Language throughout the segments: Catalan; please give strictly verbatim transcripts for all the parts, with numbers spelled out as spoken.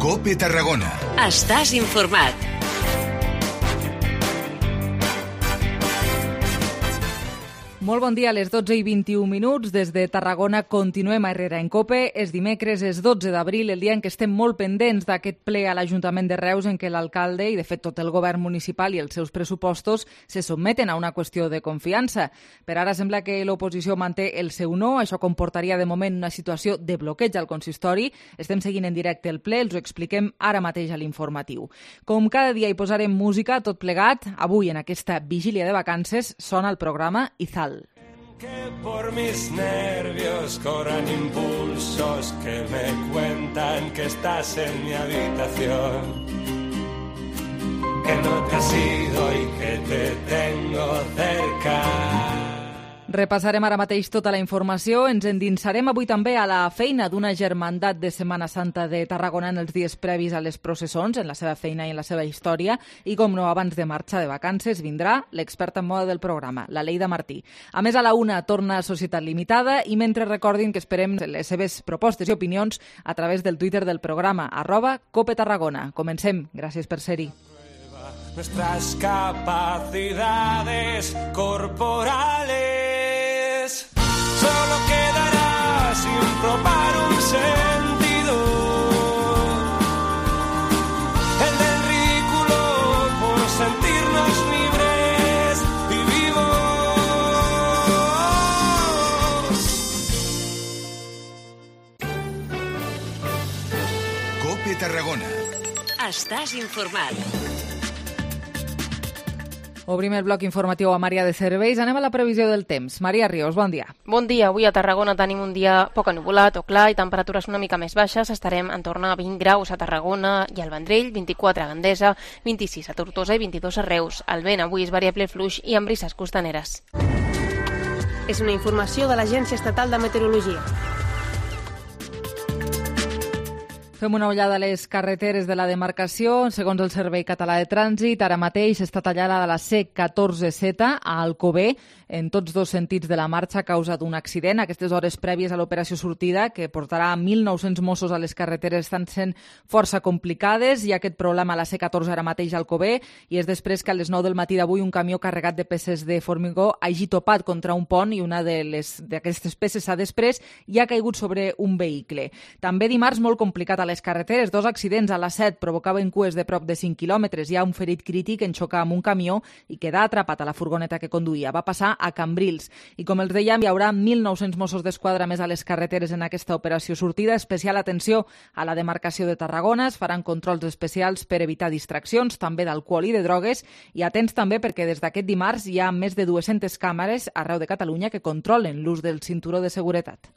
COPE Tarragona. Estàs informat. Molt bon dia, a les dotze i vint-i-u minuts. Des de Tarragona continuem a Herrera en COPE. És dimecres, és dotze d'abril, el dia en què estem molt pendents d'aquest ple a l'Ajuntament de Reus en què l'alcalde i, de fet, tot el govern municipal i els seus pressupostos se sotmeten a una qüestió de confiança. Per ara sembla que l'oposició manté el seu no. Això comportaria, de moment, una situació de bloqueig al consistori. Estem seguint en directe el ple, els ho expliquem ara mateix a l'informatiu. Com cada dia hi posarem música, tot plegat. Avui, en aquesta vigília de vacances, sona el programa Izal. Que por mis nervios corran impulsos que me cuentan que estás en mi habitación, que no te has ido y que te tengo cerca. Repassarem ara mateix tota la informació. Ens endinsarem avui també a la feina d'una germandat de Setmana Santa de Tarragona en els dies previs a les processons, en la seva feina i en la seva història. I, com no, abans de marxar de vacances, vindrà l'experta en moda del programa, la Leida Martí. A més, a la una torna a Societat Limitada i mentre recordin que esperem les seves propostes i opinions a través del Twitter del programa, arroba Cope Tarragona. Comencem. Gràcies per ser-hi. Nuestras capacidades corporales solo quedará sin probar un sentido, el del ridículo por sentirnos libres y vivos. COPE Tarragona. Estàs informat. Obrim el bloc informatiu a Maria de Serveis. Anem a la previsió del temps. Maria Ríos, bon dia. Bon dia. Avui a Tarragona tenim un dia poc ennuvolat o clar i temperatures una mica més baixes. Estarem en torn a vint graus a Tarragona i al Vendrell, vint-i-quatre a Gandesa, vint-i-sis a Tortosa i vint-i-dos a Reus. El vent avui és variable fluix i amb brises costaneres. És una informació de l'Agència Estatal de Meteorologia. Fem una ullada a les carreteres de la demarcació. Segons el Servei Català de Trànsit, ara mateix està tallada la C catorze Z a Alcover en tots dos sentits de la marxa a causa d'un accident. Aquestes hores prèvies a l'operació sortida, que portarà mil nou-cents Mossos a les carreteres, estan sent força complicades. Hi ha aquest problema a la C catorze ara mateix a Alcover i és després que a les nou del matí d'avui un camió carregat de peces de formigó hagi topat contra un pont i una d'aquestes peces s'ha desprès i ha caigut sobre un vehicle. També dimarts molt complicat a les carreteres. Dos accidents a la set provocaven cues de prop de cinc quilòmetres. Hi ha un ferit crític en xocar amb un camió i quedar atrapat a la furgoneta que conduïa. Va passar a Cambrils. I com els dèiem, hi haurà mil nou-cents Mossos d'Esquadra més a les carreteres en aquesta operació sortida. Especial atenció a la demarcació de Tarragona. Es faran controls especials per evitar distraccions, també d'alcohol i de drogues. I atents també perquè des d'aquest dimarts hi ha més de dues-centes càmeres arreu de Catalunya que controlen l'ús del cinturó de seguretat.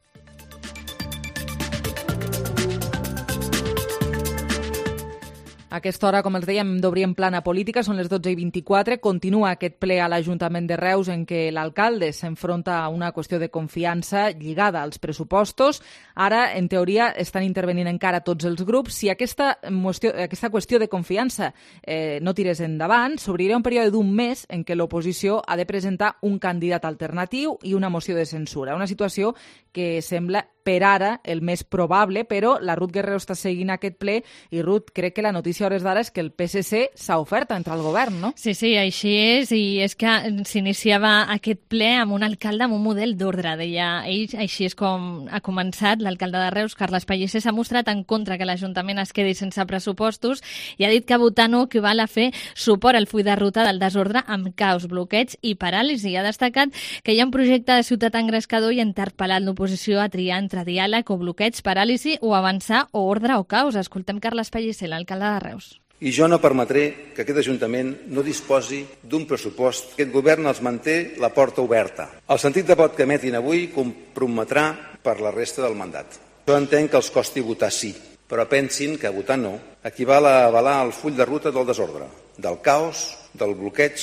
A aquesta hora, com els dèiem, d'obrir en plana política, són les dotze i vint-i-quatre. Continua aquest ple a l'Ajuntament de Reus en què l'alcalde s'enfronta a una qüestió de confiança lligada als pressupostos. Ara, en teoria, estan intervenint encara tots els grups. Si aquesta qüestió, aquesta qüestió de confiança eh, no tirés endavant, s'obrirà un període d'un mes en què l'oposició ha de presentar un candidat alternatiu i una moció de censura. Una situació que sembla per ara el més probable, però la Ruth Guerrero està seguint aquest ple i, Ruth, crec que la notícia a hores d'ara és que el P S C s'ha ofert a entrar al govern, no? Sí, sí, així és, i és que s'iniciava aquest ple amb un alcalde amb un model d'ordre, deia ell. Així és com ha començat. L'alcalde de Reus, Carles Pellicer, s'ha mostrat en contra que l'Ajuntament es quedi sense pressupostos i ha dit que votar no equival a fer suport al full de ruta del desordre amb caos, bloqueig i paràlisi. Ha destacat que hi ha un projecte de ciutat engrescador i ha interpel·lat l'oposició a triar entre diàleg o bloqueig, paràlisi o avançar o ordre o caos. Escoltem Carles Pellicer, l'alcalde de Reus. I jo no permetré que aquest Ajuntament no disposi d'un pressupost. Aquest govern els manté la porta oberta. El sentit de vot que emetin avui comprometrà per la resta del mandat. Jo entenc que els costi votar sí, però pensin que votar no equival a avalar el full de ruta del desordre, del caos, del bloqueig,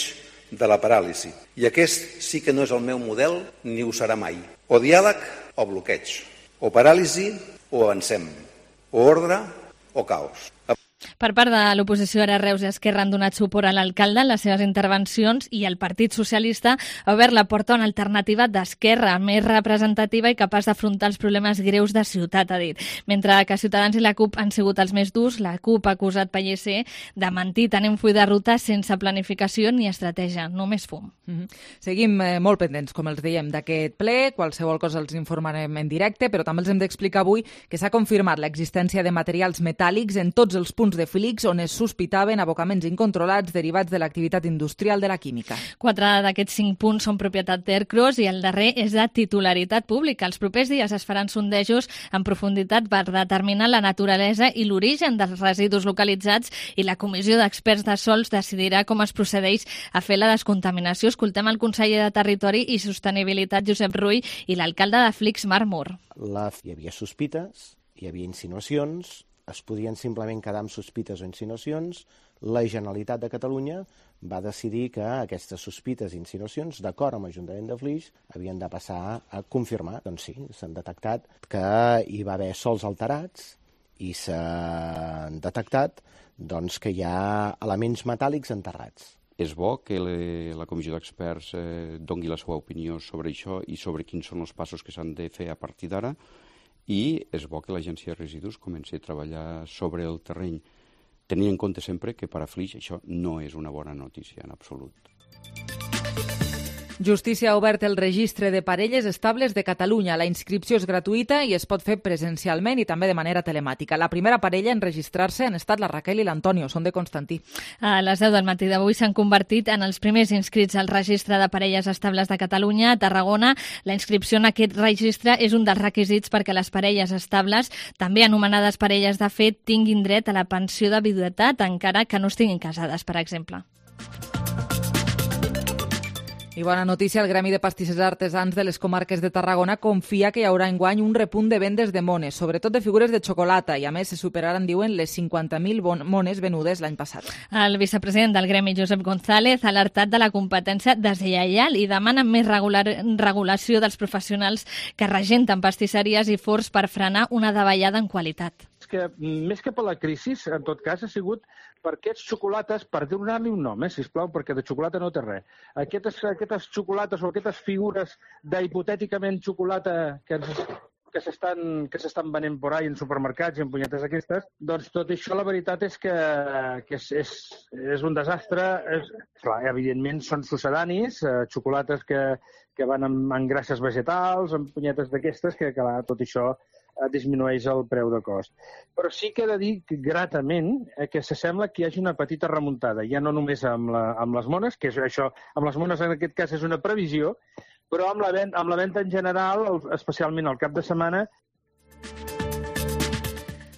de la paràlisi. I aquest sí que no és el meu model ni ho serà mai. O diàleg o bloqueig. O paràlisi o avancem. O ordre o caos. Per part de l'oposició, ara Reus i Esquerra han donat suport a l'alcalde en les seves intervencions i el Partit Socialista ha obert la porta a una alternativa d'esquerra més representativa i capaç d'afrontar els problemes greus de ciutat, ha dit. Mentre que Ciutadans i la CUP han sigut els més durs, la CUP ha acusat Pellicer de mentir tenint un full de ruta sense planificació ni estratègia, només fum. Mm-hmm. Seguim eh, molt pendents, com els dèiem, d'aquest ple. Qualsevol cosa els informarem en directe, però també els hem d'explicar avui que s'ha confirmat l'existència de materials metàl·lics en tots els punts de Flix on es sospitaven abocaments incontrolats derivats de l'activitat industrial de la química. Quatre d'aquests cinc punts són propietat d'Ercros i el darrer és de titularitat pública. Els propers dies es faran sondejos en profunditat per determinar la naturalesa i l'origen dels residus localitzats i la comissió d'experts de sols decidirà com es procedeix a fer la descontaminació. Escoltem el conseller de Territori i Sostenibilitat, Josep Rull, i l'alcalde de Flix, Marc Mur. La... Hi havia sospites, hi havia insinuacions, es podien simplement quedar amb sospites o insinuacions. La Generalitat de Catalunya va decidir que aquestes sospites i insinuacions, d'acord amb l'Ajuntament de Flix, havien de passar a confirmar. Doncs sí, s'han detectat que hi va haver sols alterats i s'han detectat doncs, que hi ha elements metàl·lics enterrats. És bo que le, la comissió d'experts eh, doni la seva opinió sobre això i sobre quins són els passos que s'han de fer a partir d'ara, i és bo que l'Agència de Residus comenci a treballar sobre el terreny, tenint en compte sempre que per a Flix això no és una bona notícia en absolut. Justícia ha obert el registre de parelles estables de Catalunya. La inscripció és gratuïta i es pot fer presencialment i també de manera telemàtica. La primera parella en registrar-se han estat la Raquel i l'Antonio, són de Constantí. A les deu del matí d'avui s'han convertit en els primers inscrits al registre de parelles estables de Catalunya. A Tarragona, la inscripció en aquest registre és un dels requisits perquè les parelles estables, també anomenades parelles de fet, tinguin dret a la pensió de viduïtat, encara que no estiguin casades, per exemple. I bona notícia, el Gremi de Pastissers Artesans de les comarques de Tarragona confia que hi haurà enguany un repunt de vendes de mones, sobretot de figures de xocolata, i a més se superaran, diuen, les cinquanta mil mones venudes l'any passat. El vicepresident del Gremi, Josep González, ha alertat de la competència deslleial i demana més regular, regulació dels professionals que regenten pastisseries i forns per frenar una davallada en qualitat. Que més que per la crisi, en tot cas, ha sigut per aquests xocolates, per donar-li un nom, eh, sisplau, perquè de xocolata no té res. Aquestes, aquestes xocolates o aquestes figures d'hipotèticament xocolata que ens, que s'estan que s'estan venent por ahí en supermercats i en punyetes aquestes, doncs tot això la veritat és que, que és, és, és un desastre. És, clar, evidentment són succedanis, eh, xocolates que, que van amb, amb grasses vegetals, amb punyetes d'aquestes, que clar, tot això disminueix el preu de cost. Però sí que he de dir que, gratament, eh, que s'assembla que hi hagi una petita remuntada, ja no només amb, la, amb les mones, que és això, amb les mones en aquest cas és una previsió, però amb la, ven amb la venda en general, especialment al cap de setmana.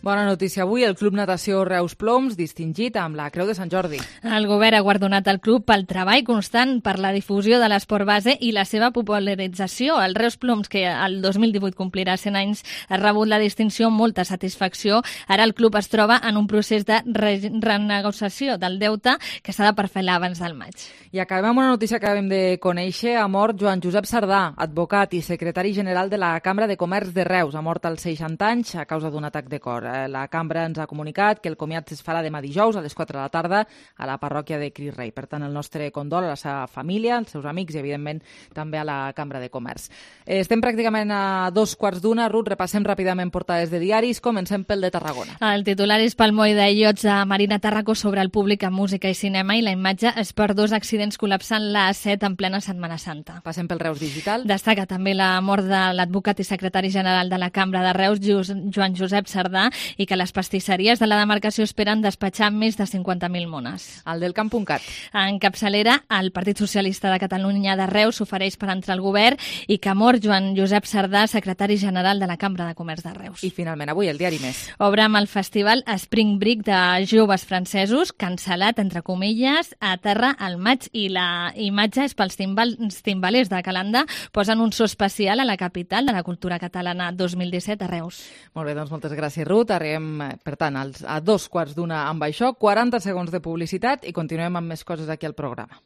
Bona notícia avui, el Club Natació Reus Ploms, distingit amb la Creu de Sant Jordi. El govern ha guardonat el club pel treball constant per la difusió de l'esport base i la seva popularització. El Reus Ploms, que el dos mil divuit complirà cent anys, ha rebut la distinció amb molta satisfacció. Ara el club es troba en un procés de re renegociació del deute que s'ha de perfailar abans del maig. I acabem amb una notícia que acabem de conèixer. Ha mort Joan Josep Sardà, advocat i secretari general de la Cambra de Comerç de Reus. Ha mort als seixanta anys a causa d'un atac de cor. La cambra ens ha comunicat que el comiat es farà demà dijous a les quatre de la tarda a la parròquia de Cris Rei. Per tant, el nostre condol a la seva família, als seus amics i, evidentment, també a la Cambra de Comerç. Estem pràcticament a dos quarts d'una. Ruth, repassem ràpidament portades de diaris. Comencem pel de Tarragona. El titular és pel moll de iots de Marina Tarraco sobre el públic en música i cinema i la imatge és per dos accidents col·lapsant la A set en plena Setmana Santa. Passem pel Reus Digital. Destaca també la mort de l'advocat i secretari general de la Cambra de Reus, Joan Josep Sardà, i que les pastisseries de la demarcació esperen despatxar més de cinquanta mil mones. El del camp punt cat. En capçalera, el Partit Socialista de Catalunya de Reus s'ofereix per entrar al govern i que mor Joan Josep Sardà, secretari general de la Cambra de Comerç de Reus. I finalment, avui, el diari Més. Obre amb el festival Spring Break de joves francesos, cancel·lat, entre comilles, a terra al maig, i la imatge és pels timbal, timbalers de Calanda. Posen un so especial a la capital de la cultura catalana dos mil disset a Reus. Molt bé, doncs moltes gràcies, Ruth. Arribem, per tant, als, a dos quarts d'una amb això, quaranta segons de publicitat i continuem amb més coses aquí al programa.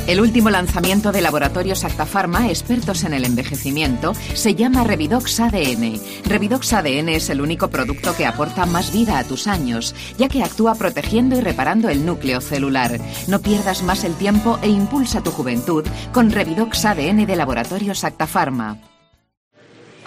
El último lanzamiento de Laboratorios Acta Pharma, expertos en el envejecimiento, se llama Revidox A D N. Revidox A D N es el único producto que aporta más vida a tus años, ya que actúa protegiendo y reparando el núcleo celular. No pierdas más el tiempo e impulsa tu juventud con Revidox A D N de Laboratorios Acta Pharma.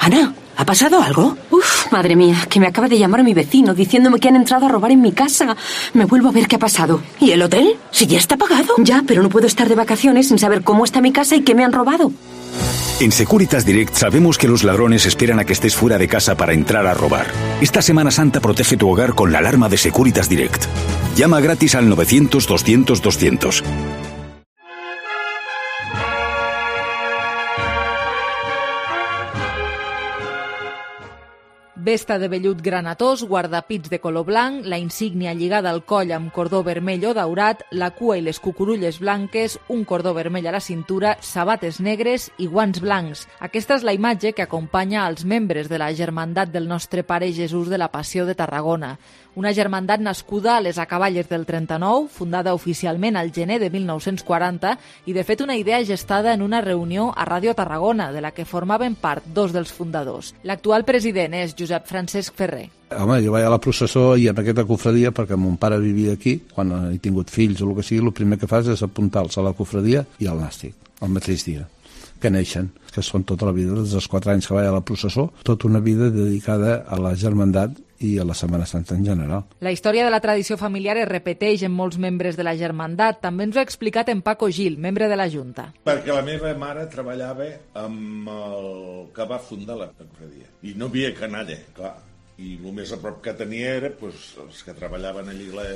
Ana, ¿ha pasado algo? Uf, madre mía, que me acaba de llamar mi vecino diciéndome que han entrado a robar en mi casa. Me vuelvo a ver qué ha pasado. ¿Y el hotel? Si ya está pagado. Ya, pero no puedo estar de vacaciones sin saber cómo está mi casa y qué me han robado. En Securitas Direct sabemos que los ladrones esperan a que estés fuera de casa para entrar a robar. Esta Semana Santa protege tu hogar con la alarma de Securitas Direct. Llama gratis al novecientos doscientos doscientos. Vesta de vellut granatós, guardapits de color blanc, la insígnia lligada al coll amb cordó vermell o daurat, la cua i les cucurulles blanques, un cordó vermell a la cintura, sabates negres i guants blancs. Aquesta és la imatge que acompanya als membres de la Germandat del Nostre Pare Jesús de la Passió de Tarragona. Una germandat nascuda a les acaballes del trenta-nou, fundada oficialment al gener de mil nou-cents quaranta i, de fet, una idea gestada en una reunió a Ràdio Tarragona, de la que formaven part dos dels fundadors. L'actual president és Josep Francesc Ferrer. Home, jo vaig a la processó i amb aquesta cofradia, perquè mon pare vivia aquí, quan he tingut fills o el que sigui, el primer que fas és apuntar-los a la cofradia i al nàstic, el mateix dia que neixen, que són tota la vida, des dels quatre anys que vaig a la processó, tota una vida dedicada a la germandat i a la Setmana Santa en general. La història de la tradició familiar es repeteix en molts membres de la germandat. També ens ho ha explicat en Paco Gil, membre de la Junta. Perquè la meva mare treballava amb el que va fundar la cofradia. I no havia canalla, clar. I el més a prop que tenia era pues, els que treballaven allí la,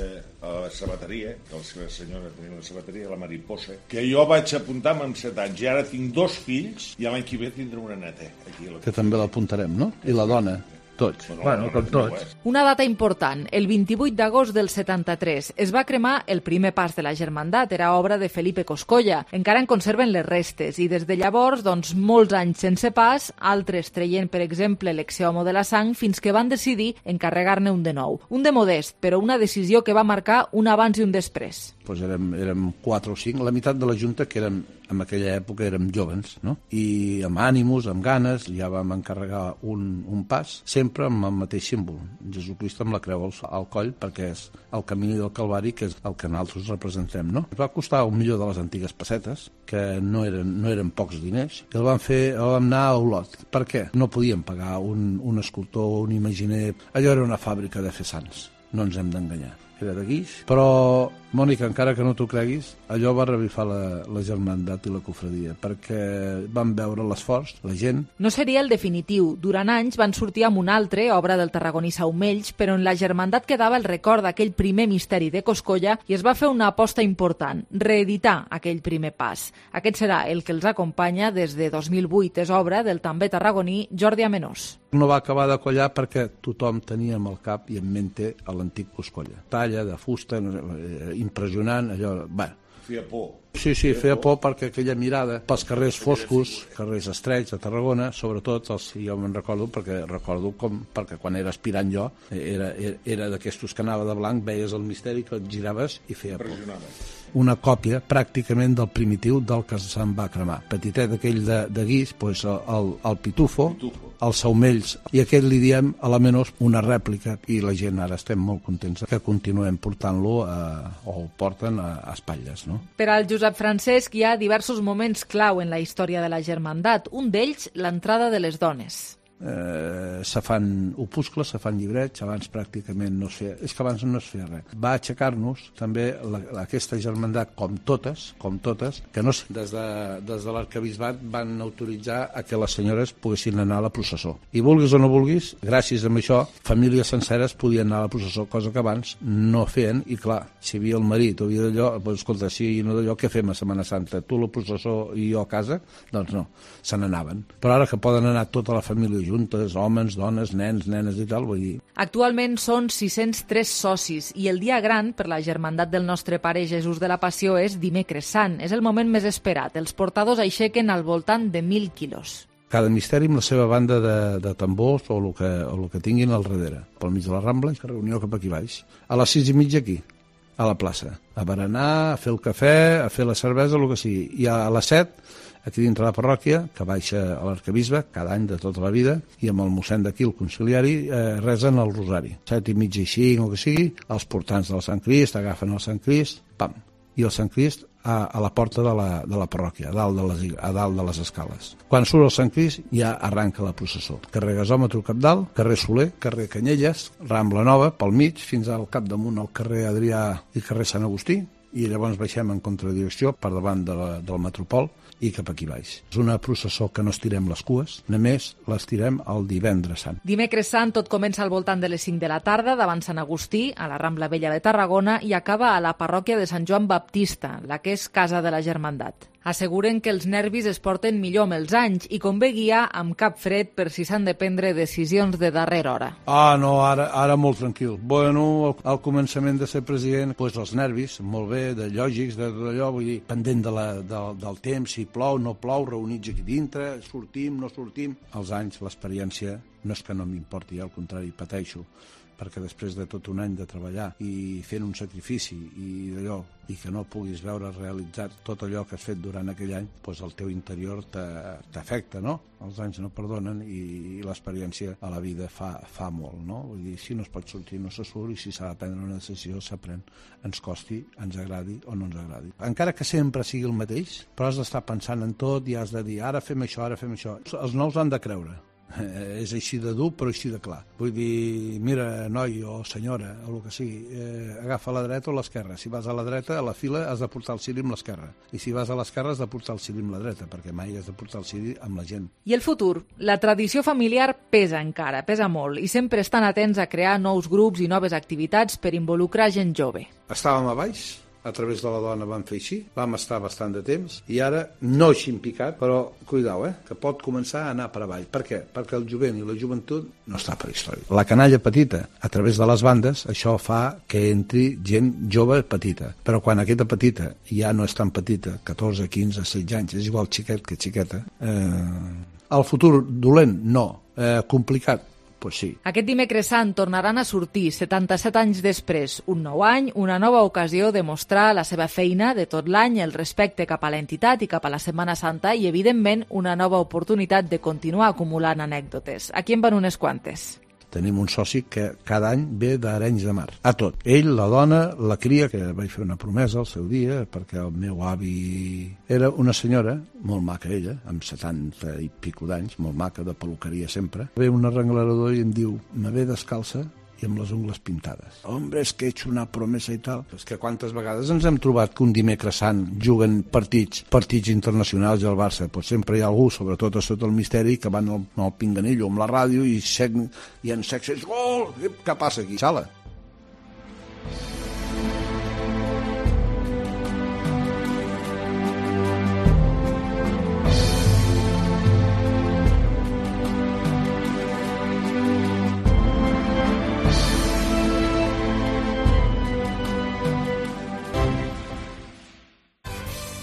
a la sabateria, que la seva senyora tenia la sabateria, la Mariposa, que jo vaig apuntar amb set anys i ara tinc dos fills i l'any que ve tindré una neta. Aquí a la que també l'apuntarem, no? I la dona. Tots. Bueno, com tots. Una data important, el vint-i-vuit d'agost del setanta-tres. Es va cremar el primer pas de la germandat, era obra de Felipe Coscolla. Encara en conserven les restes i des de llavors, doncs, molts anys sense pas, altres traient, per exemple, l'exeomo de la sang, fins que van decidir encarregar-ne un de nou. Un de modest, però una decisió que va marcar un abans i un després. Pues érem, érem quatre o cinc, la meitat de la Junta, que érem, en aquella època érem jovens, no? I amb ànimus, amb ganes, ja vam encarregar un, un pas, sempre amb el mateix símbol, Jesucrist amb la creu al, al coll, perquè és el camí del Calvari, que és el que nosaltres representem, no? Va costar un milió de les antigues pessetes, que no eren, no eren pocs diners, i el vam fer, el vam anar a Olot. Per què? No podíem pagar un, un escultor, un imaginer, allò era una fàbrica de fer sants, no ens hem d'enganyar. Era de guix, però, Mònica, encara que no t'ho creguis, allò va revifar la, la germandat i la cofradia, perquè van veure l'esforç, la gent. No seria el definitiu. Durant anys van sortir amb un altre, obra del tarragoní Saumells, però en la germandat quedava el record d'aquell primer misteri de Coscolla i es va fer una aposta important, reeditar aquell primer pas. Aquest serà el que els acompanya des de dos mil vuit. És obra del també tarragoní Jordi Amenós. No va acabar de collar perquè tothom tenia en el cap i en mente a l'antic Coscolla. Talla, de fusta, impressionant, allò... Bé. Feia por. Sí, sí, feia por perquè aquella mirada pels carrers foscos, carrers estrets de Tarragona, sobretot, els, jo me'n recordo, perquè recordo com, perquè quan era aspirant jo, era, era, era d'aquestos que anava de blanc, veies el misteri, que et giraves i feia por. Una còpia pràcticament del primitiu del que se'n va cremar. Petitet aquell de, de guix, doncs el, el, el pitufo, pitufo, els saumells, i aquest li diem a la menys una rèplica, i la gent ara estem molt contents que continuem portant-lo a, o porten a, a espatlles, no? Per al Josep Francesc hi ha diversos moments clau en la història de la germandat. Un d'ells, l'entrada de les dones. Eh, se fan opuscles, se fan llibrets, abans pràcticament no es feia, és que abans no es feia res. Va aixecar-nos també la, aquesta germandat, com totes, com totes, que no, des de, des de l'arquebisbat van autoritzar a que les senyores poguessin anar a la processó. I vulguis o no vulguis, gràcies a això, famílies senceres podien anar a la processó, cosa que abans no feien, i clar, si hi havia el marit o havia d'allò, doncs escolta, si no d'allò, què fem a Setmana Santa? Tu a la processó i jo a casa? Doncs no, se n'anaven. Però ara que poden anar tota la família juntes, homes, dones, nens, nenes i tal, vull dir... Actualment són sis-cents tres socis i el dia gran per la germandat del Nostre Pare Jesús de la Passió és Dimecres Sant. És el moment més esperat. Els portadors aixequen al voltant de mil quilos. Cada misteri amb la seva banda de, de tambors o el que, o el que tinguin al darrere. Pel mig de la Rambla i reunió cap aquí baix. A les sis i mitja aquí. a la plaça, a berenar, a fer el cafè, a fer la cervesa, el que sigui. I a les set, aquí dintre la parròquia, que baixa a l'arcabisbe, cada any de tota la vida, i amb el mossèn d'aquí, el conciliari, eh, resen el rosari. Set i mitja i cinc, o que sigui, els portants del Sant Crist agafen el Sant Crist, pam, i el Sant Crist a, a la porta de la, de la parròquia, a dalt de, les, a dalt de les escales. Quan surt el Sant Crist ja arranca la processó. Carrer Gasòmetre Capdalt, carrer Soler, carrer Canyelles, Rambla Nova, pel mig, fins al capdamunt al carrer Adrià i carrer Sant Agustí, i llavors baixem en contradirecció per davant de la, del Metropol i cap aquí baix. És una processó que no estirem les cues, només les tirem el divendres sant. Dimecres sant tot comença al voltant de les cinc de la tarda davant Sant Agustí, a la Rambla Vella de Tarragona, i acaba a la parròquia de Sant Joan Baptista, la que és Casa de la Germandat. Asseguren que els nervis es porten millor amb els anys i convé guiar amb cap fred per si s'han de prendre decisions de darrera hora. Ah, no, ara, ara molt tranquil. Bueno, al, al començament de ser president, doncs els nervis, molt bé, de lògics, de tot allò, vull dir, pendent de la, de, del temps, si plou, no plou, reunits aquí dintre, sortim, no sortim. Els anys, l'experiència, no és que no m'importi, al contrari, pateixo, perquè després de tot un any de treballar i fent un sacrifici i d'allò, i que no puguis veure realitzat tot allò que has fet durant aquell any, doncs el teu interior t'afecta, no? Els anys no perdonen i, i l'experiència a la vida fa, fa molt, no? Vull dir, si no es pot sortir, no se surt, i si s'ha de prendre una decisió, s'aprèn. Ens costi, ens agradi o no ens agradi. Encara que sempre sigui el mateix, però has d'estar pensant en tot i has de dir, ara fem això, ara fem això. Els nous han de creure. Eh, és així de dur però així de clar. Vull dir, mira, noi o senyora o el que sigui, eh, agafa la dreta o l'esquerra. Si vas a la dreta, a la fila has de portar el ciri amb l'esquerra, i si vas a l'esquerra has de portar el ciri amb la dreta, perquè mai has de portar el ciri amb la gent. I el futur? La tradició familiar pesa encara, pesa molt, i sempre estan atents a crear nous grups i noves activitats per involucrar gent jove. Estàvem a baix, a través de la dona vam fer així, vam estar bastant de temps, i ara no així en picat, però cuidao, eh, que pot començar a anar per avall. Per què? Perquè el jovent i la joventut no està per història. La canalla petita, a través de les bandes, això fa que entri gent jove petita, però quan aquesta petita ja no és tan petita, catorze, quinze, setze anys, és igual xiquet que xiqueta, eh, el futur dolent, no, eh, complicat, pues sí. Aquest dimecres sant tornaran a sortir, setanta-set anys després, un nou any, una nova ocasió de mostrar la seva feina de tot l'any, el respecte cap a l'entitat i cap a la Setmana Santa i, evidentment, una nova oportunitat de continuar acumulant anècdotes. Aquí en van unes quantes. Tenim un soci que cada any ve d'Arenys de Mar, a tot. Ell, la dona, la cria, que vaig fer una promesa al seu dia, perquè el meu avi era una senyora, molt maca ella, amb setanta i pico d'anys, molt maca, de peluqueria sempre. Ve un arrenglerador i em diu, me ve descalça i amb les ungles pintades. Hombre, és que he hecho una promesa i tal. És que quantes vegades ens hem trobat que un dimecres sant juguen partits, partits internacionals i el Barça, pues sempre hi ha algú, sobretot a sota el misteri, que van al, al pinganillo amb la ràdio i, sec, i en sexe, gol! Què passa aquí? Sala.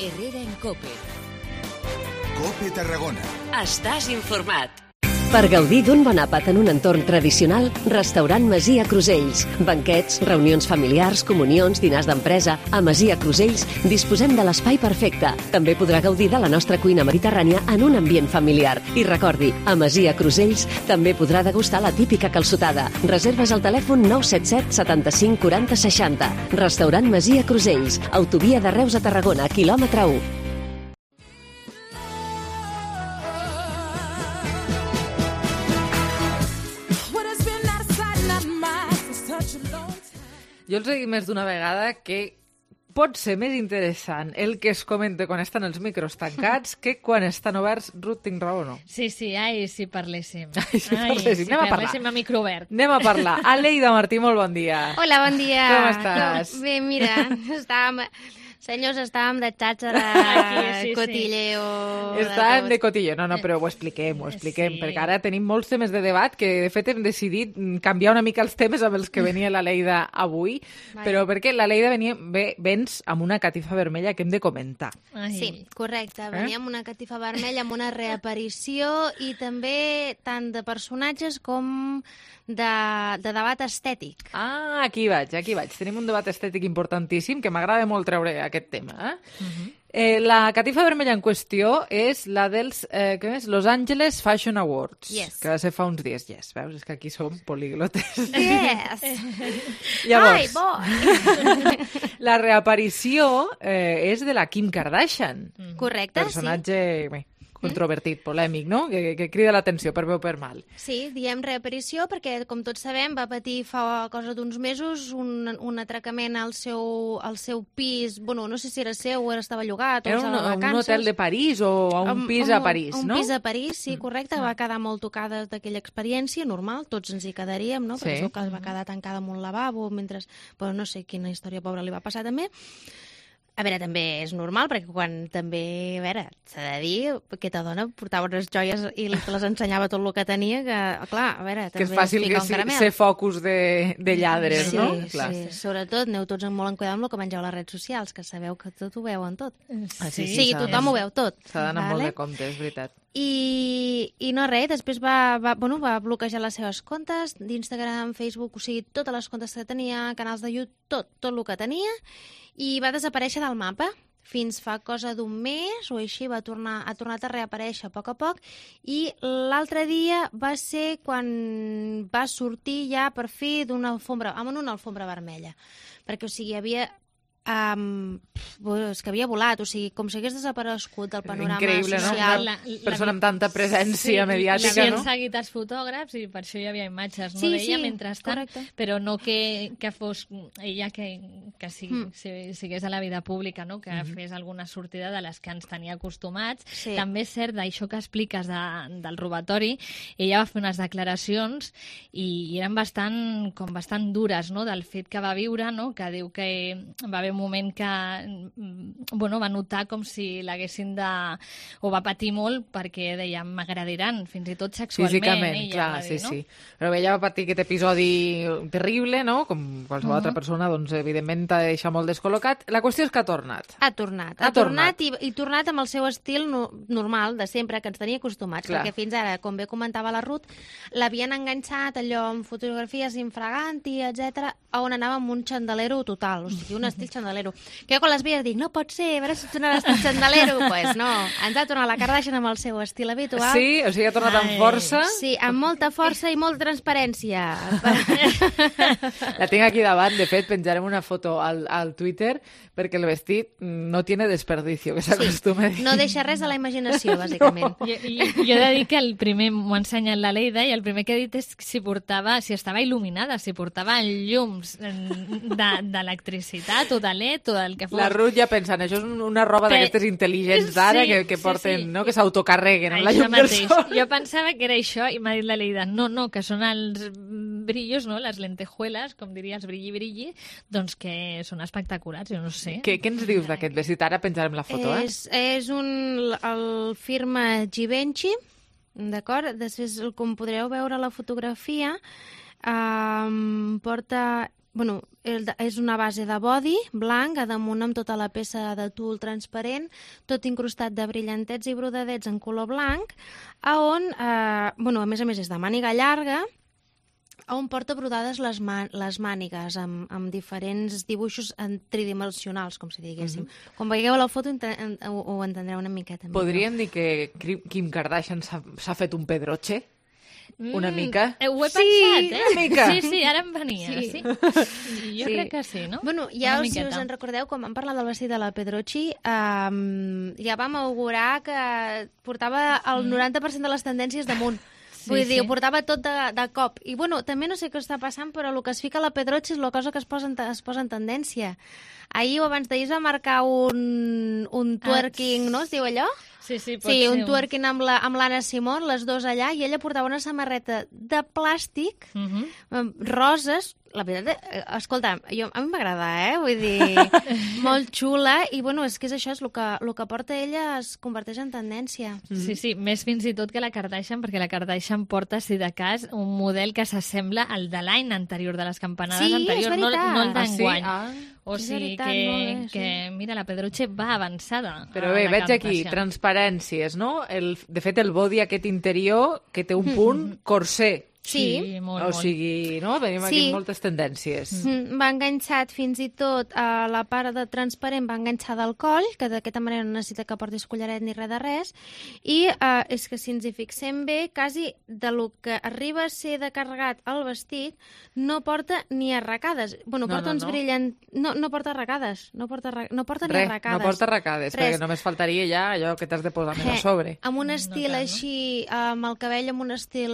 Herrera en Cope. Cope Tarragona. Estàs informat. Per gaudir d'un bon àpat en un entorn tradicional, Restaurant Masia Crusells. Banquets, reunions familiars, comunions, dinars d'empresa. A Masia Crusells disposem de l'espai perfecte. També podrà gaudir de la nostra cuina mediterrània en un ambient familiar. I recordi, a Masia Crusells també podrà degustar la típica calçotada. Reserves al telèfon nou set set setanta-cinc quaranta seixanta. Restaurant Masia Crusells. Autovia de Reus a Tarragona, quilòmetre u. Jo els he dit més d'una vegada que pot ser més interessant el que es comenta quan estan els micros tancats que quan estan oberts. Ruth, tinc raó o no? Sí, sí, ai, si parléssim. Ai, si ai, parléssim. si Anem a parlar. parléssim a micro obert. Anem a parlar. Aleida Martí, molt bon dia. Hola, bon dia. Com estàs? Bé, mira, estàvem... Senyors, estàvem de xàxara, sí, sí. cotilleo... Estàvem de cotilleo. No, no, però ho expliquem, ho expliquem, sí. Perquè ara tenim molts temes de debat que, de fet, hem decidit canviar una mica els temes amb els que venia la Leida avui, Vai. Però perquè la Leida venia, ve, vens amb una catifa vermella que hem de comentar. Ai. Sí, correcte. Venia amb una catifa vermella, amb una reaparició i també tant de personatges com de, de debat estètic. Ah, aquí vaig, aquí vaig. Tenim un debat estètic importantíssim que m'agrada molt treure aquest tema. Eh? Uh-huh. Eh, la catifa vermella en qüestió és la dels eh, què és? Los Angeles Fashion Awards, yes. que va ser fa uns dies. Yes, veus? És que aquí som políglotes. Yes! Llavors, Ai, bo! La reaparició eh, és de la Kim Kardashian. Mm. Correcte, personatge, sí. Bé, controvertit, polèmic, no? Que, que crida l'atenció per bé o per mal. Sí, diem reaparició perquè, com tots sabem, va patir fa cosa d'uns mesos un, un atracament al seu, al seu pis, bueno, no sé si era seu o estava llogat, era o estava un, de vacances. un hotel de París o a un pis um, a París, un, no? Un pis a París, sí, correcte, va quedar molt tocada d'aquella experiència, normal, tots ens hi quedaríem, no? Perquè sí. El seu cas va quedar tancada en un lavabo, mentre... Però no sé quina història pobra li va passar també. A veure, també és normal, perquè quan també, a veure, s'ha de dir, aquesta dona portava unes joies i te les ensenyava tot el que tenia, que, clar, a veure, també que és fàcil que sí, ser focus de, de lladres, sí, no? Sí, clar. Sí, sobretot aneu tots molt en cuidar amb el que mengeu a les redes socials, que sabeu que tot ho veuen tot. Ah, sí, sí, sí tothom ho veu tot. S'ha d'anar vale? molt de compte, és veritat. I, i no res, després va, va, bueno, va bloquejar les seves comptes d'Instagram, Facebook, o sigui, totes les comptes que tenia, canals de YouTube, tot, tot el que tenia, i va desaparèixer del mapa. Fins fa cosa d'un mes o així va tornar, ha tornat a reaparèixer a poc a poc, i l'altre dia va ser quan va sortir ja per fi d'una alfombra, amb una alfombra vermella, perquè o sigui, havia... Um, és que havia volat, o sigui, com si hagués desaparegut del panorama increïble, social. No? Una persona amb tanta presència sí, mediàtica, l'havien no? seguit els fotògrafs i per això hi havia imatges, no? Sí, D'ella sí, mentrestant, correcte. Però no que, que fos ella que, que sigui, mm. si, sigués a la vida pública, no? Que mm-hmm. fes alguna sortida de les que ens tenia acostumats. Sí. També és cert, d'això que expliques de, del robatori, ella va fer unes declaracions i, i eren bastant, com bastant dures, no? Del fet que va viure, no? Que diu que va haver un moment que bueno, va notar com si l'haguessin de... o va patir molt perquè deia, m'agradiran, fins i tot sexualment. Físicament, ella, clar, dir, sí, no? sí. Però ella va patir aquest episodi terrible, no? Com qualsevol uh-huh. altra persona, doncs, evidentment t'ha de deixar molt descol·locat. La qüestió és que ha tornat. Ha tornat. Ha, ha tornat, tornat i, i tornat amb el seu estil no, normal, de sempre, que ens tenia acostumats, clar. Perquè fins ara, com bé comentava la Ruth, l'havien enganxat allò amb fotografies infraganti, etcètera, on anava amb un xandalero total, o sigui, un estil xandalero. Que jo quan les veia dic, no pot ser, a veure si tornarà a xandalero. Doncs pues no, ens ha tornat la Kardashian amb el seu estil habitual. Sí, o sigui, ha tornat amb força. Sí, amb molta força i molta transparència. La tinc aquí davant, de fet, penjarem una foto al, al Twitter, perquè el vestit no tiene desperdicio, que s'acostuma sí, a dir. No deixa res a la imaginació, bàsicament. No. Jo, jo he de dir que el primer m'ho ha ensenyat la Leida i el primer que he dit és si portava, si estava il·luminada, si portava llums d'electricitat o de L E D o del que fos. La Ruth ja pensant, això és una roba Pe... d'aquestes intel·ligents d'ara sí, que, que porten, sí, sí. No? Que s'autocarreguen amb la llum del sol. Jo pensava que era això i m'ha dit la Leida, no, no, que són els brillos, no? Les lentejueles, com diria, els brilli-brilli, doncs que són espectaculars, jo no sé. Què, què ens dius d'aquest vestit? Ara penjarem la foto, eh? És, és un, el firma Givenchy, d'acord? Després, com podreu veure a la fotografia, um, porta... Bueno, és una base de body blanc, a damunt amb tota la peça de tul transparent, tot incrustat de brillantets i brodadets en color blanc, a on, eh, bueno, a més a més és de màniga llarga, on porta brodades les, man les mànigues amb, amb diferents dibuixos tridimensionals, com si diguéssim. Mm-hmm. Quan veieu la foto en ho, ho entendreu una miqueta. Podríem dir que Kim Kardashian s'ha fet un pedroche? Una mm, mica? Ho he sí, pensat, eh? Una mica. Sí, sí, ara em venia, sí. sí. Jo sí. crec que sí, no? Bueno, ja us, si us en recordeu, quan vam parlar del vestit de la Pedrochi, um, ja vam augurar que portava el noranta per cent de les tendències damunt. Sí, Vull dir, sí. ho portava tot de, de cop. I, bueno, també no sé què està passant, però el que es fica a la Pedrochi és la cosa que es posa en, es posa en tendència. Ahir o abans d'ahir es va marcar un, un twerking, ah, no? Es diu allò? Sí, sí, pot sí, ser un un- twerking amb la- amb l'Anna Simón, les dues allà, i ella portava una samarreta de plàstic, Mhm. amb roses. La veritat, eh, escolta, jo, a mi m'agrada, eh? Vull dir, molt xula, i bueno, és que és això, és el que, el que porta ella es converteix en tendència. Sí, sí, més fins i tot que la Kardashian, perquè la Kardashian porta, si de cas, un model que s'assembla al de l'any anterior, de les campanades Sí, és anteriors, no, veritat. no el Ah, sí? d'enguany. Ah. O És sigui veritat, que, molt bé, sí. que, mira, la Pedruche va avançada. Però a bé, la veig aquí Kardashian. transparències, no? El, de fet, el body aquest interior que té un punt corser. Sí. Sí, molt, O molt. sigui, no? Venim aquí Sí. amb moltes tendències. Mm, va enganxat fins i tot a la part de transparent, va enganxada al coll, que d'aquesta manera no necessita que portis collaret ni res de res, i eh, és que si ens hi fixem bé, quasi de lo que arriba a ser de carregat el vestit, no porta ni arracades. Bueno, No, porta no, uns no. brillants... No, no porta arracades, no porta, arra- no porta ni Res, arracades. no porta arracades, Res. perquè només faltaria ja allò que t'has de posar més a Eh, sobre. Amb un estil així, amb el cabell amb un estil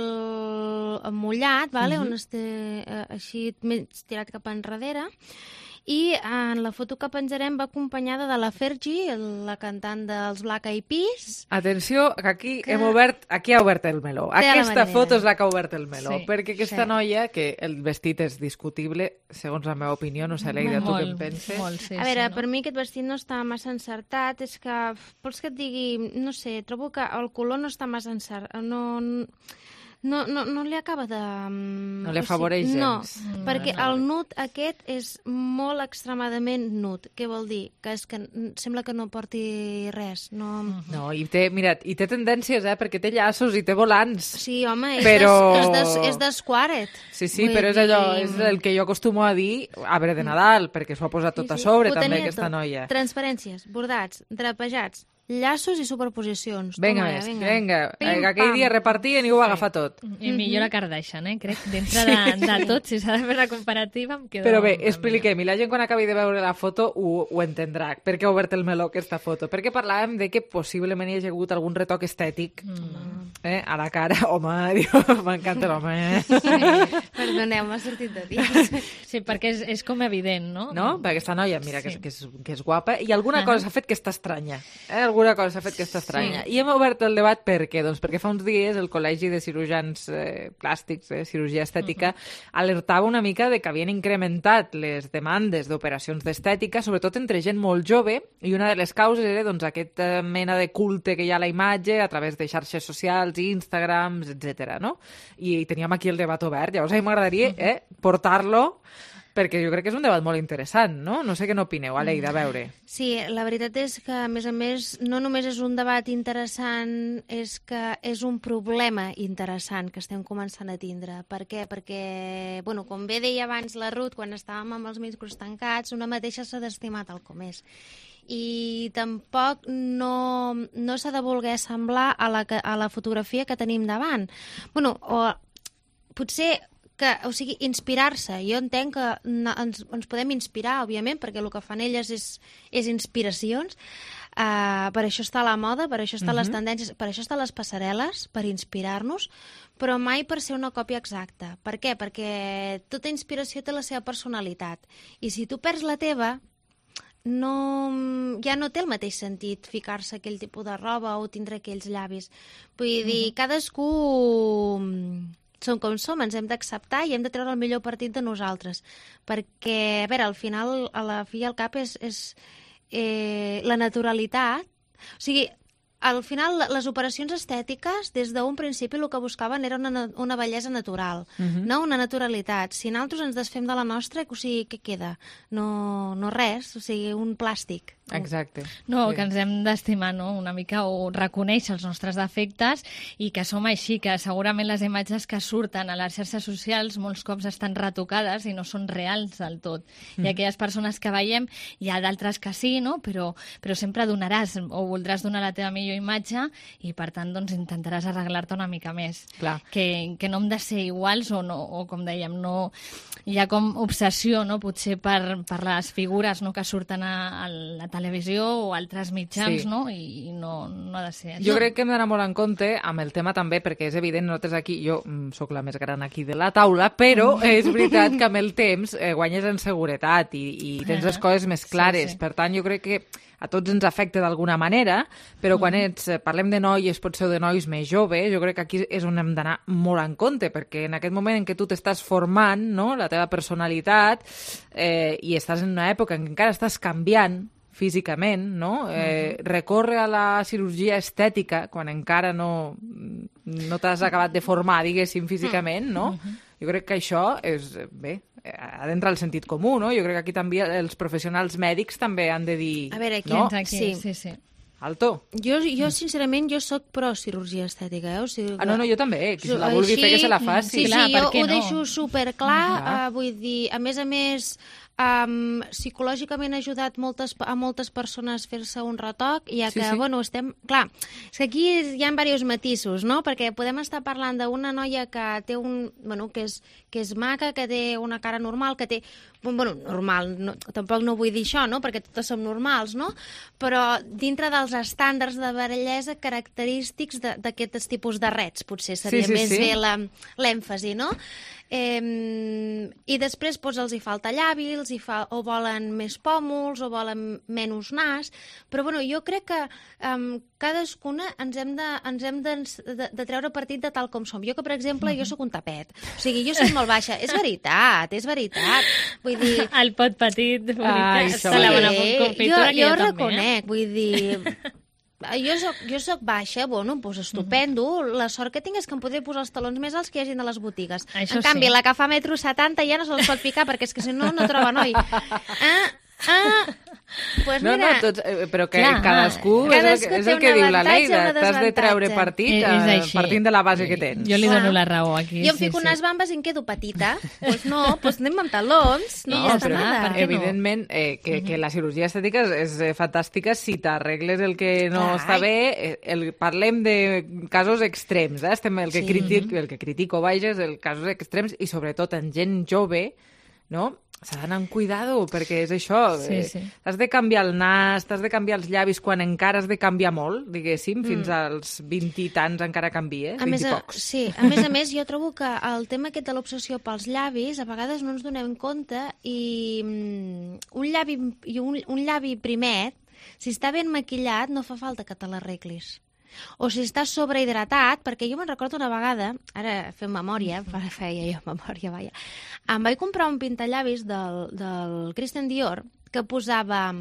mullat, vale? Mhm. un estil eh, així més tirat cap enrere, i en la foto que penjarem va acompanyada de la Fergie, la cantant dels Black Eyed Peas. Atenció, que aquí Que- hem obert, aquí ha obert el meló. Té la Aquesta marinera. foto és la que ha obert el meló, Sí, perquè aquesta sí. noia, que el vestit és discutible, segons la meva opinió, no sé, Leida, tu què en penses? Molt, sí, A veure, sí, no? per mi aquest vestit no està massa encertat, és que, vols que et digui, no sé, trobo que el color no està massa encertat, no... No, no, no li acaba de... No li afavoreix No, gens. no, Mm, perquè no. el nud aquest és molt extremadament nud. Què vol dir? Que és que n- sembla que no porti res. No... No, i té, mira, i té tendències, eh, perquè té llaços i té volants. Sí, home, és, Però- des, és, des, és d'esquaret. Sí, sí, Vull però és allò, dir- és el que jo acostumo a dir arbre de Nadal, perquè s'ho ha posat tot a sobre, Ho també, tenia aquesta tot. noia. Transparències, bordats, drapejats, llaços i superposicions. Vinga Toma, més, vinga. vinga. Pim, Eh, que aquell pam. dia repartien i ho va agafar tot. I millor la Kardashian, eh? Crec, dintre de, de tot, si s'ha de fer la comparativa, em quedo... Però bé, expliquem, i la gent quan acabi de veure la foto ho, ho entendrà. Per què ha obert el meló aquesta foto? Perquè parlàvem de que possiblement hi hagi hagut algun retoc estètic Mm. eh, a la cara. Home, diu, m'encanta l'home. Eh? Perdoneu, m'ha sortit de dins. Sí, perquè és, és com evident, no? No? Perquè aquesta noia, mira, que, és, Sí. que, és, que és guapa, i alguna Ahà. cosa s'ha fet que està estranya. Eh? Alguna cosa s'ha fet que està estranya. Sí. I hem obert el debat per què? Doncs perquè fa uns dies el Col·legi de Cirurgians eh, Plàstics, eh, Cirurgia Estètica, alertava una mica de que havien incrementat les demandes d'operacions d'estètica, sobretot entre gent molt jove, i una de les causes era doncs, aquesta mena de culte que hi ha a la imatge a través de xarxes socials, Instagrams, etcètera. No? I teníem aquí el debat obert. Llavors, a mi m'agradaria eh, portar-lo perquè jo crec que és un debat molt interessant, no? No sé què n'opineu, Aleida, a veure. Sí, la veritat és que, a més a més, no només és un debat interessant, és que és un problema interessant que estem començant a tindre. Per què? Perquè, bueno, com bé deia abans la Ruth, quan estàvem amb els micros tancats, una mateixa s'ha d'estimar tal com és. I tampoc no, no s'ha de voler semblar a la, que- a la fotografia que tenim davant. Bueno, o potser que, o sigui, inspirar-se. Jo entenc que no, ens, ens podem inspirar, òbviament, perquè el que fan elles és, és inspiracions. Uh, per això està la moda, per això estan les Mhm. tendències, per això estan les passarel·les, per inspirar-nos, però mai per ser una còpia exacta. Per què? Perquè tota inspiració té la seva personalitat. I si tu perds la teva, no, ja no té el mateix sentit ficar-se aquell tipus de roba o tindre aquells llavis. Vull dir, cadascú som com som, ens hem d'acceptar i hem de treure el millor partit de nosaltres. Perquè, a veure, al final, a la fi i al cap és, és eh, la naturalitat. O sigui, al final, les operacions estètiques, des d'un principi el que buscaven era una, una bellesa natural, Mhm. no una naturalitat. Si nosaltres ens desfem de la nostra, o sigui, què queda? No, no res, o sigui, un plàstic. Exacte. No, Sí. que ens hem d'estimar, no?, una mica, o reconèixer els nostres defectes i que som així, que segurament les imatges que surten a les xarxes socials molts cops estan retocades i no són reals del tot. Mm. Hi ha aquelles persones que veiem, hi ha d'altres que sí, no?, però, però sempre donaràs o voldràs donar la teva millor imatge i, per tant, doncs intentaràs arreglar-te una mica més. Clar. Que, que no hem de ser iguals o, no, o com dèiem, no, hi ha com obsessió, no?, potser per, per les figures, no?, que surten a, a la televisió o altres mitjans, Sí. no?, i no, no ha de ser això. Jo crec que hem d'anar molt en compte amb el tema també, perquè és evident, nosaltres aquí, jo mm, sóc la més gran aquí de la taula, però és veritat que amb el temps eh, guanyes en seguretat i, i tens les coses més clares. Sí, sí. Per tant, jo crec que a tots ens afecta d'alguna manera, però quan ets, parlem de noies, potser de nois més joves, jo crec que aquí és on hem d'anar molt en compte, perquè en aquest moment en què tu t'estàs formant, no?, la teva personalitat, eh, i estàs en una època en què encara estàs canviant físicament, no? Eh, uh-huh. Recorre a la cirurgia estètica quan encara no, no t'has acabat de formar, diguéssim, físicament, no? Uh-huh. Jo crec que això és, bé, ha d'entrar al sentit comú, no? Jo crec que aquí també els professionals mèdics també han de dir... A veure, aquí, no? aquí. Sí, sí, sí. Alto. Jo, jo sincerament, jo sóc pro cirurgia estètica, eh? O sigui, ah, no, no, jo també. Qui se la així, vulgui fer, que se la faci. Sí, clar, sí, jo ho no? deixo superclar. Uh, vull dir, a més a més, um, psicològicament ha ajudat moltes, a moltes persones a fer-se un retoc, ja que, sí, sí. bueno, estem... Clar, és que aquí hi ha diversos matisos, no? Perquè podem estar parlant d'una noia que té un... Bueno, que és, que és maca, que té una cara normal, que té... Bueno, normal, no, tampoc no vull dir això, no?, perquè totes som normals, no?, però dintre dels estàndards de bellesa característics d'aquests tipus de rets, potser seria sí, sí, més sí. bé l'èmfasi, no? Eh, I després doncs, els hi falta llavi, els hi fa, o volen més pòmuls, o volen menys nas, però bueno, jo crec que um, cadascuna ens hem, de, ens hem de, de, de treure partit de tal com som. Jo que, per exemple, jo sóc un tapet, o sigui, jo soc molt baixa, és veritat, és veritat. Vull dir... El pot petit, Ai, sí, la bona confitura, jo, jo, jo també, reconec, eh? Vull dir... Jo soc, jo soc baixa, bueno, doncs estupendo. Mm-hmm. La sort que tinc és que em podré posar els talons més alts que hi hagi a les botigues. Això en canvi, sí. la que fa metro setanta ja no se les pot ficar, perquè és que si no, no troba noi. Ah, ah... Pues no, mira, no, tots, eh, però que clar, cadascú, cadascú és el, és el que diu la Leida, t'has de treure partit eh, eh, partint de la base que tens. Jo li clar. dono la raó aquí. Jo em sí, fico sí. unes bambes i em quedo petita. Doncs pues no, doncs pues anem amb talons, no, no ja però, està nada. Evidentment, eh, que, que la cirurgia estètica és eh, fantàstica si t'arregles el que no clar. està bé. Eh, el, parlem de casos extrems, eh? Estem, el, que sí. critic, el que critico, vaja, és el casos extrems i sobretot en gent jove, no?, s'ha d'anar amb cuidado, perquè és això. Sí, sí. Eh, has de canviar el nas, t'has de canviar els llavis quan encara has de canviar molt, diguéssim, mm. fins als vint i tants encara canvia, a vint més, i pocs. Sí, a més a més, jo trobo que el tema aquest de l'obsessió pels llavis, a vegades no ens donem compte i um, un, llavi, i un, un llavi primet, si està ben maquillat, no fa falta que te l'arreglis. O si estàs sobrehidratat, perquè jo me'n recordo una vegada, ara fem memòria, feia jo memòria, vaja, em vaig comprar un pintallavis del, del Christian Dior que posava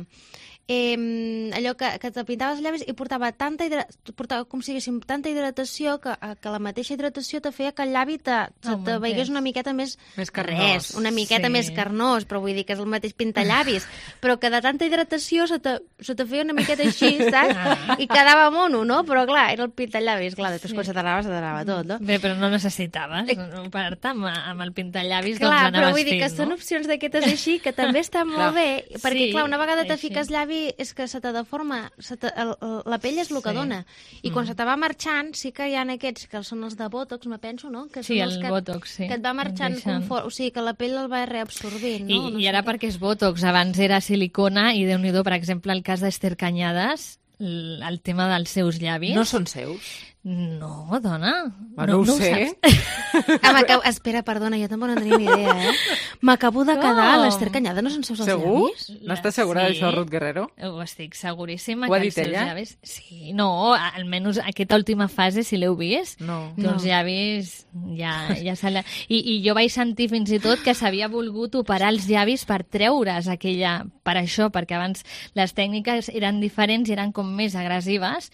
eh, allò que, que te pintaves els llavis i portava tanta hidratació, portava com si haguéssim tanta hidratació que, que la mateixa hidratació te feia que el llavi te, te, oh, te veiés una miqueta més... Més carnós. Res, una miqueta sí. més carnós, però vull dir que és el mateix pintallavis, però que de tanta hidratació se te, se te feia una miqueta així, saps? I quedava mono, no? Però clar, era el pintallavis, clar, després sí. quan se t'anava, se t'anava tot, no? Bé, però no necessitaves operar-te amb, amb el pintallavis, clar, doncs anaves però vull dir fent, que no? són opcions d'aquestes així, que també estan molt bé, perquè sí, clar, una vegada te així. fiques llavi és que se te deforma, se te, el, el, la pell és el que Sí. dona. I Mm. quan se te va marxant, sí que hi ha aquests que són els de Botox, me penso, no? Que Sí, són els el que, Botox, sí. que et va marxant Deixant. confort, o sigui, que la pell el va reabsorbint, no? I, no i sé ara què. perquè és Botox, abans era silicona i déu-n'hi-do, per exemple, el cas d'Ester Cañadas, el, el tema dels seus llavis. No són seus? No, dona. Bueno, no, no ho sé. Ah, m'acabo... Espera, perdona, jo tampoc no tenia ni idea, eh? M'acabo de quedar, Com? l'Ester Cañada no són seus els Segur? llavis? No estàs segura Sí. d'això, Ruth Guerrero? Ho estic seguríssima. Ho ha que dit els seus ella? Llavis... Sí, no, almenys aquesta última fase, si l'heu vist, No. que els No. llavis ja, ja se la... I, I jo vaig sentir fins i tot que s'havia volgut operar els llavis per treure's aquella... Per això, perquè abans les tècniques eren diferents i eren com més agressives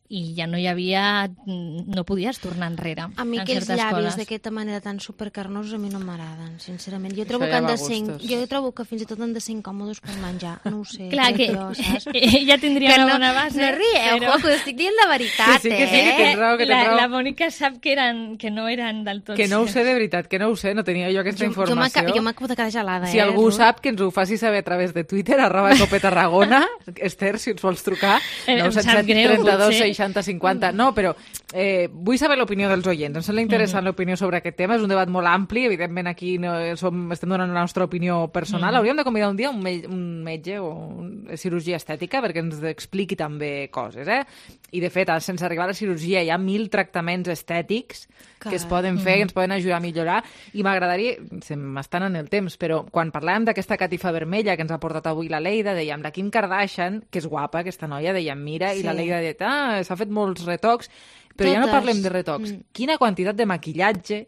i ja no hi havia... no podies tornar enrere. A mi en aquells certes llavis coses. d'aquesta manera tan supercarnosos a mi no m'agraden, sincerament. Jo Això trobo ja que han va de a ser, gustos. jo trobo que fins i tot han de ser incòmodes per menjar. No ho sé. Clar que jo, saps? ja tindria Que una no, bona base. No rieu, però- jo, que ho estic dient la veritat, Que sí, que sí, eh? que tens raó, que tens la, raó. la Mònica sap que, eren, que no eren del tot... Que no ho sé de veritat, que no ho sé, no tenia jo aquesta Jo, jo informació. m'aca- jo m'acabo de quedar gelada, Si eh? algú Ruth? sap, que ens ho faci saber a través de Twitter, arroba Cope Tarragona. Esther, si ens vols trucar, Eh, em nou set sap set, greu, trenta-dos, potser. seixanta cinquanta... No, però eh, vull saber l'opinió dels oients. Em sembla interessant mm-hmm. l'opinió sobre aquest tema. És un debat molt ampli. Evidentment, aquí no som, estem donant la nostra opinió personal. Mm-hmm. Hauríem de convidar un dia un, me un metge o una cirurgia estètica perquè ens expliqui també coses, eh? I, de fet, sense arribar a la cirurgia hi ha mil tractaments estètics que es poden fer, que ens poden ajudar a millorar. I m'agradaria, se m'estan en el temps, però quan parlàvem d'aquesta catifa vermella que ens ha portat avui la Leida, dèiem, la Kim Kardashian, que és guapa, aquesta noia, dèiem, mira, sí. I la Leida deia, ah, s'ha fet molts retocs, però Totes. Ja no parlem de retocs. Mm. Quina quantitat de maquillatge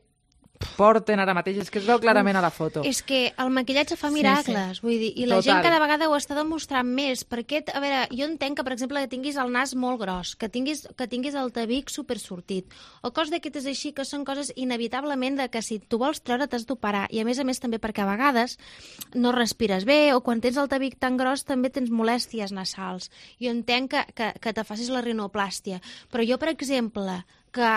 porten ara mateix, és que es veu clarament a la foto. És que el maquillatge fa miracles, sí, sí. Vull dir, i la Total. Gent cada vegada ho està demostrant més, perquè, a veure, jo entenc que, per exemple, que tinguis el nas molt gros, que tinguis, que tinguis el tabic supersortit, o coses d'aquestes així, que són coses inevitablement de que si tu vols treure t'has d'operar, i a més a més també perquè a vegades no respires bé, o quan tens el tabic tan gros també tens molèsties nasals. Jo entenc que, que, que te facis la rinoplàstia, però jo, per exemple, que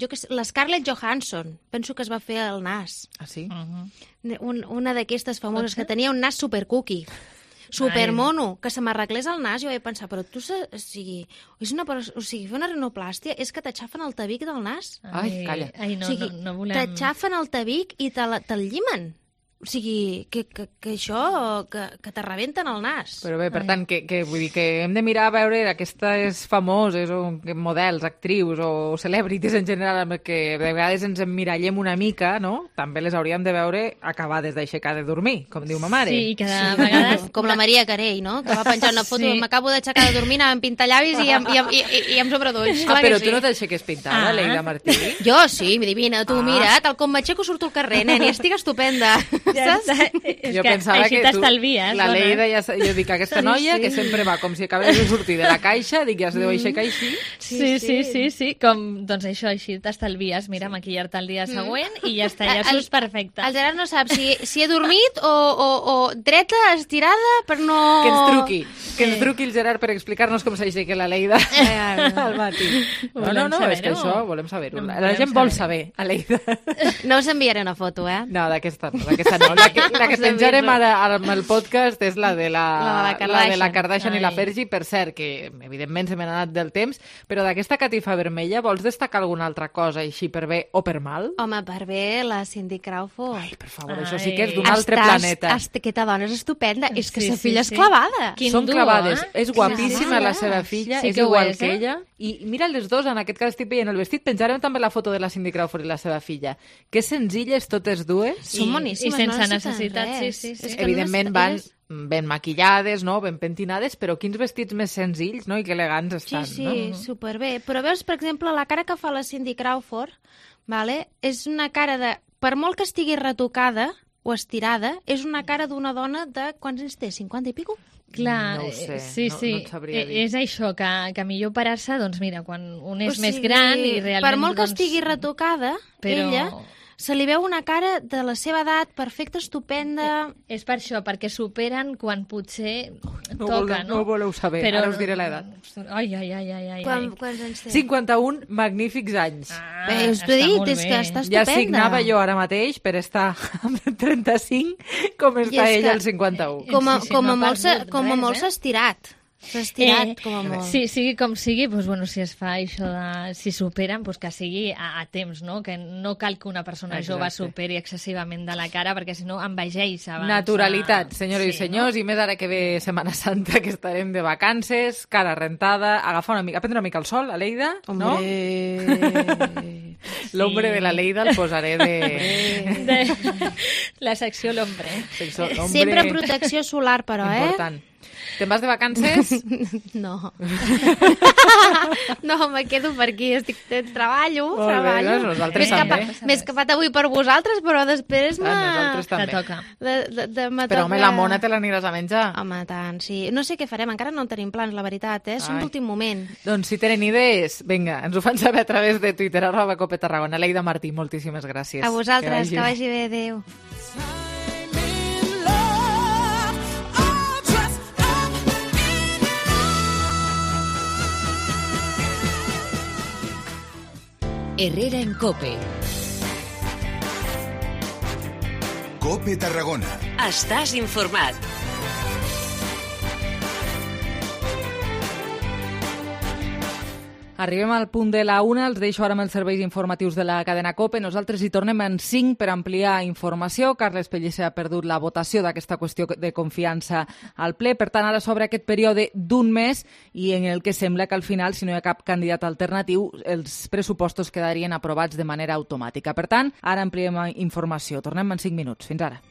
jo que sé, la Scarlett Johansson, penso que es va fer el nas. Ah, sí? Uh-huh. Un, una d'aquestes famoses que tenia un nas super cookie, super mono, que se m'arreglés el nas, jo vaig pensar, però tu, o sigui, és una, o sigui, fer una rinoplàstia és que t'aixafen el tabic del nas. Ai, calla. Ai, no, o sigui, no, no volem... t'aixafen el tabic i te'l te llimen. O sigui, que, que, que això, que, que te rebenten el nas. Però bé, per Ai. tant, que, que, vull dir que hem de mirar a veure aquestes famoses o models, actrius o celebrities en general, amb que de vegades ens emmirallem una mica, no? També les hauríem de veure acabades d'aixecar de dormir, com diu ma mare. Sí, que de vegades... Com la Maria Carey, no? Que va penjar una foto, sí. M'acabo d'aixecar de dormir, anava amb pintallavis i amb, i amb, i, i, i amb sobredolls. Ah, però tu sí. No t'aixeques pintada, ah. Leida Martí? Jo sí, divina, tu ah. Mira, tal com m'aixeco surto al carrer, nen, i estic estupenda. Ja saps? És jo que pensava així que tu, t'estalvies. La Leida, ja, jo dic, aquesta noia sí, sí. que sempre va com si acabés de sortir de la caixa, dic, ja se deu aixecar així. Sí, sí, sí, sí, com, doncs això, així t'estalvies, mira, sí. Maquillar-te el dia següent mm. i ja està, ja surts perfecte. El Gerard no sap si, si he dormit o, o, o dreta, estirada, per no... Que ens truqui, que ens truqui el Gerard per explicar-nos com s'aixeca la Leida al matí. No, no, no, és que això volem saber-ho. La gent vol saber, a Leida. No us enviaré una foto, eh? No, d'aquesta no, d'aquesta no. La que, la que penjarem ara amb el podcast és la de la, la, de, la la de la Kardashian Ai. I la Fergie, per cert, que evidentment se m'ha anat del temps, però d'aquesta catifa vermella vols destacar alguna altra cosa així per bé o per mal? Home, per bé, la Cindy Crawford. Ai, per favor, Ai. Això sí que és d'un altre Estàs, planeta. Aquesta dona és estupenda, és que sí, sa filla sí, és clavada. Quin Són duo, clavades, eh? és guapíssima sí, la seva filla, sí és igual és, que eh? Ella. I mira les dos, en aquest cas estic veient el vestit, penjarem també la foto de la Cindy Crawford i la seva filla. Que senzilles totes dues. Són boníssimes, i sense no necessitat, sí, sí, sí. Evidentment van ben maquillades, no? Ben pentinades, però quins vestits més senzills, no? I que elegants estan, sí, sí, no? Sí, superbé. Però veus, per exemple, la cara que fa la Cindy Crawford, vale? És una cara de... Per molt que estigui retocada o estirada, és una cara d'una dona de... Quants anys té? cinquanta i pico? Clar, no ho sé, sí, no, sí. no et sabria dir. És això, que, que millor parar-se, doncs mira, quan un és o sigui, més gran i realment... Per molt que doncs, estigui retocada, però... ella... Se li veu una cara de la seva edat, perfecta, estupenda... Eh, és per això, perquè superen quan potser no toca, voleu, no? No ho voleu saber, però... ara us diré l'edat. Ai, ai, ai, ai, ai. Quan, quants anys té? cinquanta-un magnífics anys. Ah, Bé, us t'ho he dit, és que està estupenda. Ja signava jo ara mateix per estar amb trenta-cinc com està ella al cinquanta-u. Com a, sí, sí, com no a molt s'ha eh? estirat. S'ha estirat, eh, com a molt. Sí, sigui com sigui, doncs, bueno, si es fa això de... Si superen, doncs que sigui a, a temps, no? Que no cal que una persona Exacte. Jove superi excessivament de la cara, perquè si no envegeix abans. Naturalitat, senyores sí, i senyors, no? I més ara que ve Setmana Santa, que estarem de vacances, cara rentada, agafar una mica, prendre una mica el sol, a Leida, Hombre. No? L'ombre sí. De la Leida el posaré de... de... La secció l'ombre. Sempre protecció solar, però, eh? Important. Te'n vas de vacances? No. No, me quedo per aquí. Estic, treballo, Molt treballo. Bé, nosaltres també. M'he escapat avui per vosaltres, però després ah, nosaltres també. Te toca. De, de, de, de però, home, la mona te l'aniràs a menjar. Home, tant, sí. No sé què farem, encara no tenim plans, la veritat, eh? Som d'últim moment. Doncs si tenen idees, vinga, ens ho fan saber a través de Twitter, arroba Cope Tarragona. Leida Martí, moltíssimes gràcies. A vosaltres, que vagi, que vagi bé, adéu. Herrera en Cope. Cope Tarragona. Estàs informat. Arribem al punt de la una, els deixo ara amb els serveis informatius de la cadena COPE. Nosaltres hi tornem en cinc per ampliar informació. Carles Pellicer ha perdut la votació d'aquesta qüestió de confiança al ple. Per tant, ara s'obre aquest període d'un mes i en el que sembla que al final, si no hi ha cap candidat alternatiu, els pressupostos quedarien aprovats de manera automàtica. Per tant, ara ampliem informació. Tornem en cinc minuts. Fins ara.